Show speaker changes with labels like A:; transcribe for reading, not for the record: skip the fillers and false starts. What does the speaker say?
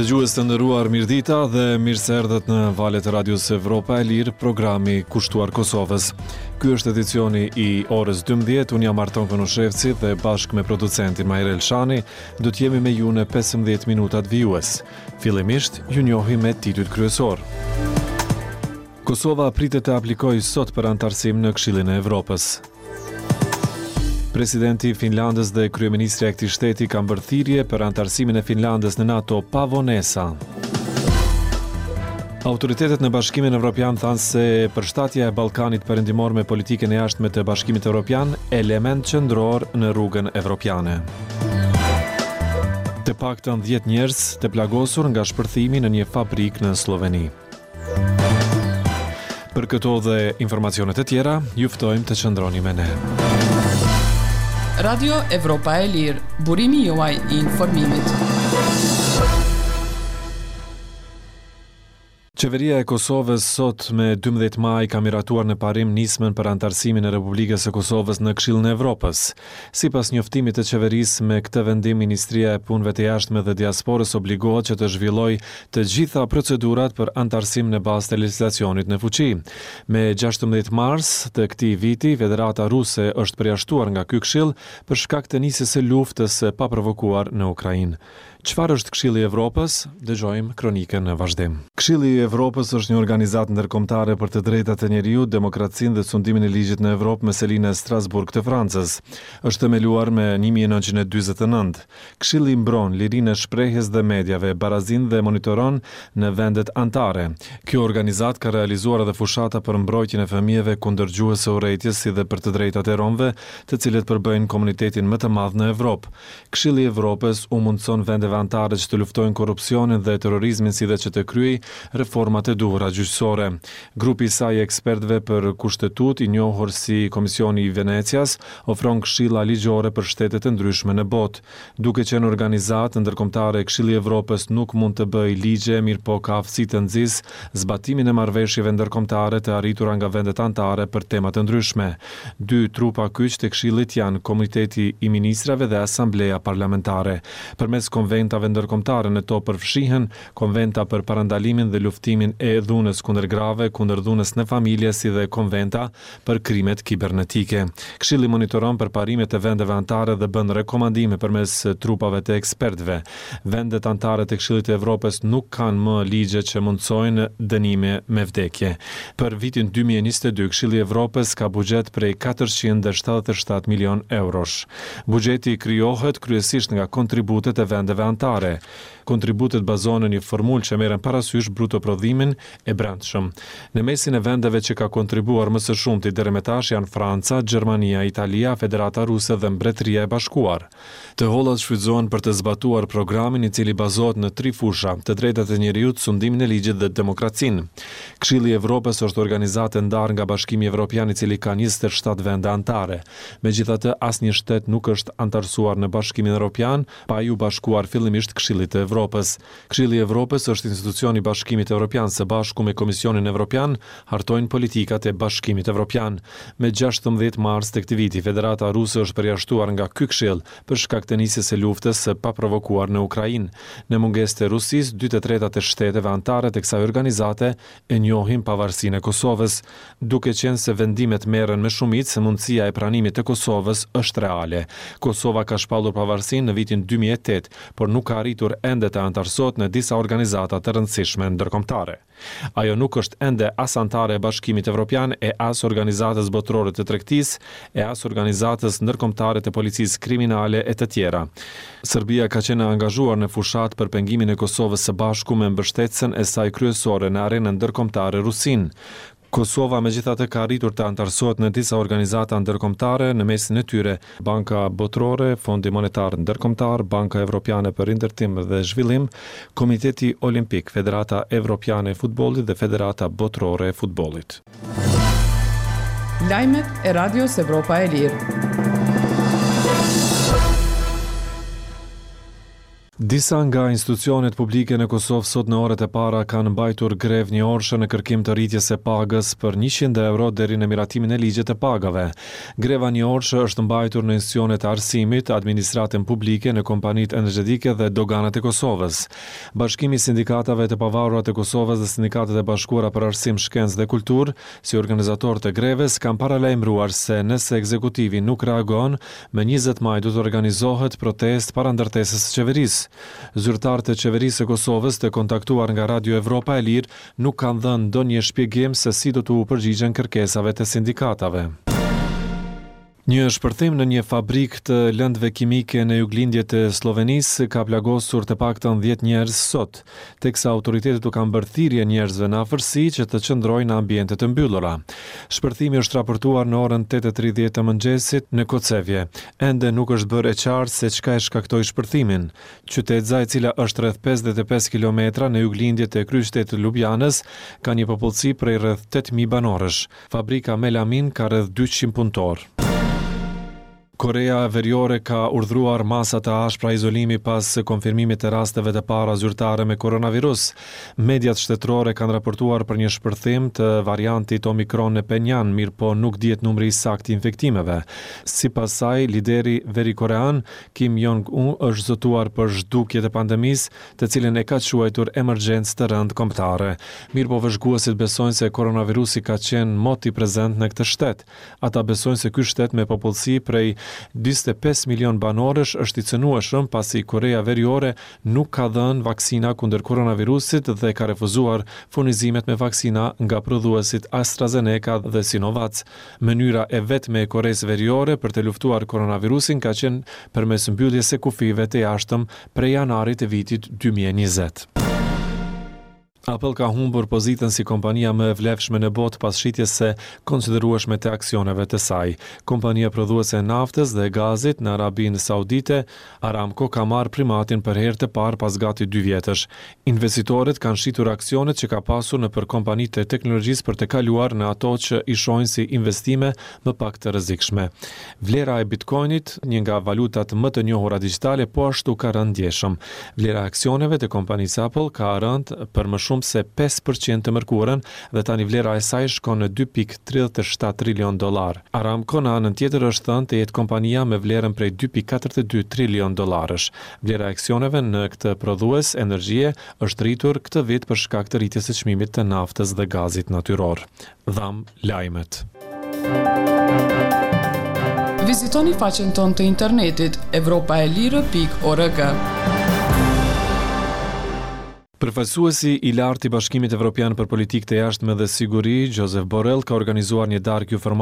A: Dëgjues të nderuar, mirëdita dhe mirë se erdhët në valët e Radios Evropa e Lirë, programi kushtuar Kosovës. Ky është edicioni i orës 12, unë jam Arton Konushevci dhe bashkë me producentin Mahir Elshani, do të jemi me ju në 15 minutat vijues. Fillimisht, ju njohim me titujt kryesorë. Kosova pritet të aplikojë sot për anëtarësim në Këshillin e Evropës. Presidenti i Finlandës dhe kryeministrja e këtij shteti kanë bërë thirrje për anëtarësimin e Finlandës në NATO pa vonesa. Autoritetet në Bashkimin Evropian thanë se përshtatja e Ballkanit Perëndimor me politikën e jashtme të Bashkimit Evropian element qendror në rrugën evropiane. Të paktën 10 njerëz të plagosur nga shpërthimi në një fabrikë në Slloveni. Për këto dhe informacione të tjera, ju ftojmë të qëndroni me ne.
B: Radio Evropa e Lirë, burimi juaj i informimit.
A: Qeveria e Kosovës sot me 12 maj ka miratuar në parim nismën për anëtarësimin e Republikës së Kosovës në Këshillin e Evropës. Sipas njoftimit të qeverisë, me këtë vendim Ministria e Punëve të Jashtme dhe Diasporës obligohet që të zhvillojë të gjitha procedurat për anëtarësim në bazë të legjislacionit në fuqi. Me 16 mars të këtij viti, Federata Ruse është përjashtuar nga ky këshill për shkak të nisjes së luftës së paprovokuar në Ukrainë. Çfarë është Këshilli i Evropës? Dëgjojmë kronikën në vazhdim. Këshilli i Evropës është një organizatë ndërkombëtare për të drejtat e njeriut, demokracinë dhe sundimin e ligjit në Evropë me seli në Strasburg të Francës. Është themeluar me 1949. Këshilli mbron lirinë e shprehjes dhe mediave, barazinë dhe monitoron në vendet anëtare. Kjo organizatë ka realizuar edhe fushata për mbrojtjen e fëmijëve kundër gjuhës së urrejtjes si dhe për të drejtat e romëve, të cilët përbëjnë komunitetin më të madh në Evropë. Këshilli i Evropës u mundëson vendeve anëtare që të luftojnë korrupsionin dhe terrorizmin si dhe që të kryejë reformat e duhura gjyqësore. Grupi i saj i ekspertëve për Kushtetutë, i njohur si Komisioni i Venecias, ofron këshilla ligjore për shtetet e ndryshme në botë. Duke qenë organizatë ndërkombëtare, Këshilli i Evropës nuk mund të bëjë ligje, mirëpo ka aftësi të nxisë zbatimin e marrëveshjeve ndërkombëtare të arritura nga vendet anëtare për tema të ndryshme. Dy trupa kyç të Këshillit janë Komiteti i Ministrave dhe Asambleja Parlamentare. Përmes konventave ndërkombëtare në to përfshihen Konventa për parandalimin dhe luftimin e dhunës kundër grave, kundër dhunës në familje si dhe Konventa për krimet kibernetike. Këshilli monitoron përparimet e vendeve anëtare dhe bën rekomandime përmes trupave të ekspertëve. Vendet anëtare të Këshillit të Evropës nuk kanë më ligje që mundësojnë dënime me vdekje. Për vitin 2022, Këshilli i Evropës ka buxhet prej 477 milionë eurosh. Buxheti krijohet kryesisht nga kontributet e vendeve anëtare. Kontributet bazohen në një formulë që merren parasysh bruto prodhimin e brendshëm. Në mesin e vendeve që ka kontribuar më së shumti deri më tash janë Franca, Gjermania, Italia, Federata Ruse dhe Mbretëria e Bashkuar. Të hollat shfrytëzohen për të zbatuar programin i cili bazohet në tri fusha, të drejtat e njeriut, sundimin e ligjit dhe demokracinë. Këshilli i Evropës është organizatë e ndarë nga Bashkimi Evropian i cili ka 27 vende anëtare. Megjithatë, asnjë shtet nuk është anëtarësuar në Bashkimin Evropian pa iu bashkuar fillimisht Këshillit të Evropës. Këshilli i Evropës është institucion i Bashkimit Evropian së bashku me Komisionin Evropian hartojnë politikat e Bashkimit Evropian. Me 16 mars të këtij viti, Federata Ruse është përjashtuar nga ky këshill për shkak të nisjes së luftës së paprovokuar në Ukrainë. Në mungesë të Rusisë, dy të tretat e shteteve anëtare të kësaj organizate e njohin pavarësinë e Kosovës. Duke qenë se vendimet merren me shumicë, mundësia e pranimit të Kosovës është reale. Kosova ka shpallur pavarësinë në vitin 2008, por nuk ka arritur ende të anëtarësohet në disa organizata të rëndësishme ndërkombëtare. Ajo nuk është ende as anëtare e Bashkimit Evropian e as Organizatës Botërore të Tregtisë, e as Organizatës Ndërkombëtare të Policisë Kriminale e të tjera. Serbia ka qenë e angazhuar në fushatë për pengimin e Kosovës së bashku me mbështetësen e saj kryesore në arenën ndërkombëtare Rusinë. Kosova megjithatë ka arritur të anëtarësohet në disa organizata ndërkombëtare, në mesin e tyre Banka Botërore, Fondi Monetar Ndërkombëtar, Banka Evropiane për Rindërtim dhe Zhvillim, Komiteti Olimpik, Federata Evropiane e Futbollit dhe Federata Botërore e Futbollit.
B: Lajmet e Radios Evropa e Lirë.
A: Disa nga institucionet publike në Kosovë sot në orët e para kanë mbajtur grevë njëorëshe në kërkim të rritjes së pagës për 100 euro deri në miratimin e ligjit të pagave. Greva njëorëshe është mbajtur në institucionet e arsimit, administratën publike, në kompanitë energjetike dhe doganat e Kosovës. Bashkimi i Sindikatave të Pavarura të Kosovës dhe Sindikatat e Bashkuara për Arsim, Shkencë dhe Kulturë, si organizatorë të grevës, kanë paralajmëruar se nëse ekzekutivi nuk reagon, Më 20 maj do të organizohet protestë para ndërtesës së qeverisë. Zyrtarë të Qeverisë së Kosovës të kontaktuar nga Radio Evropa e Lirë nuk kanë dhënë ndonjë shpjegim se si do t'u përgjigjen kërkesave të sindikatave. Një shpërthim në një fabrikë të lëndëve kimike në juglindje të Sllovenisë ka plagosur të paktën 10 njerëz sot, teksa autoritetet u kanë bërë thirrje njerëzve në afërsi që të qëndrojnë në ambiente të mbyllura. Shpërthimi është raportuar në orën 8:30 të mëngjesit në Kocevje. Ende nuk është bërë e qartë se çka e shkaktoi shpërthimin. Qytetëza e cila është rreth 55 kilometra në juglindje të kryeqytetit të Lubjanës, ka një popullsi prej rreth 8000 banorësh. Fabrika Melamin ka rreth 200 punëtorë. Koreja Veriore ka urdhëruar masa të ashpra izolimi pas konfirmimit të rasteve të para zyrtare me koronavirus. Mediat shtetërore kanë raportuar për një shpërthim të variantit Omicron në Phenjan, mirëpo nuk dihet numri i saktë i infektimeve. Sipas saj, lideri verikorean Kim Jong-un është zotuar për zhdukje të pandemisë, të cilën e ka quajtur emergjencë të rëndë kombëtare. Mirëpo vëzhguesit besojnë se koronavirusi ka qenë moti prezent në këtë shtet. Ata besojnë se ky shtet me popullsi prej 45 milionë banorësh është i cënueshëm pasi Koreja Veriore nuk ka dhënë vaksina kundër koronavirusit dhe ka refuzuar furnizimet me vaksina nga prodhuesit AstraZeneca dhe Sinovac. Mënyra e vetme e Koresë Veriore për të luftuar koronavirusin ka qenë përmes mbylljes së kufijve të jashtëm prej janarit të vitit 2020. Apple ka humbur pozitën si kompania më e vlefshme në botë pas shitjes së konsiderueshme të aksioneve të saj. Kompania prodhuese e naftës dhe gazit në Arabinë Saudite, Aramco ka marrë primatin për herë të parë pas gati dy vjetësh. Investitorët kanë shitur aksionet që ka pasur nëpër kompanitë e teknologjisë për të kaluar në ato që i shohin si investime më pak të rrezikshme. Vlera e Bitcoinit, një nga valutat më të njohura digjitale, po ashtu ka rënë ndjeshëm. Vlera e aksioneve të kompanisë Apple ka rënë për më shumë se 5% të mërkurën dhe tani vlera e saj shkon në 2.37 trilion dollar. Aramco në anën tjetër është thënë të jetë kompania me vlerën prej 2.42 trilion dollarësh. Vlera e aksioneve në këtë prodhues energjie është rritur këtë vit për shkak të rritjes së çmimit të naftës dhe gazit natyror. Dhamë lajmet.
B: Vizitoni faqen tonë të internetit evropaelire.org.
A: Përfaqësuesi i lartë i Bashkimit Evropian për Politikë të Jashtme dhe Siguri, Josep Borrell, ka organizuar një darkë informale.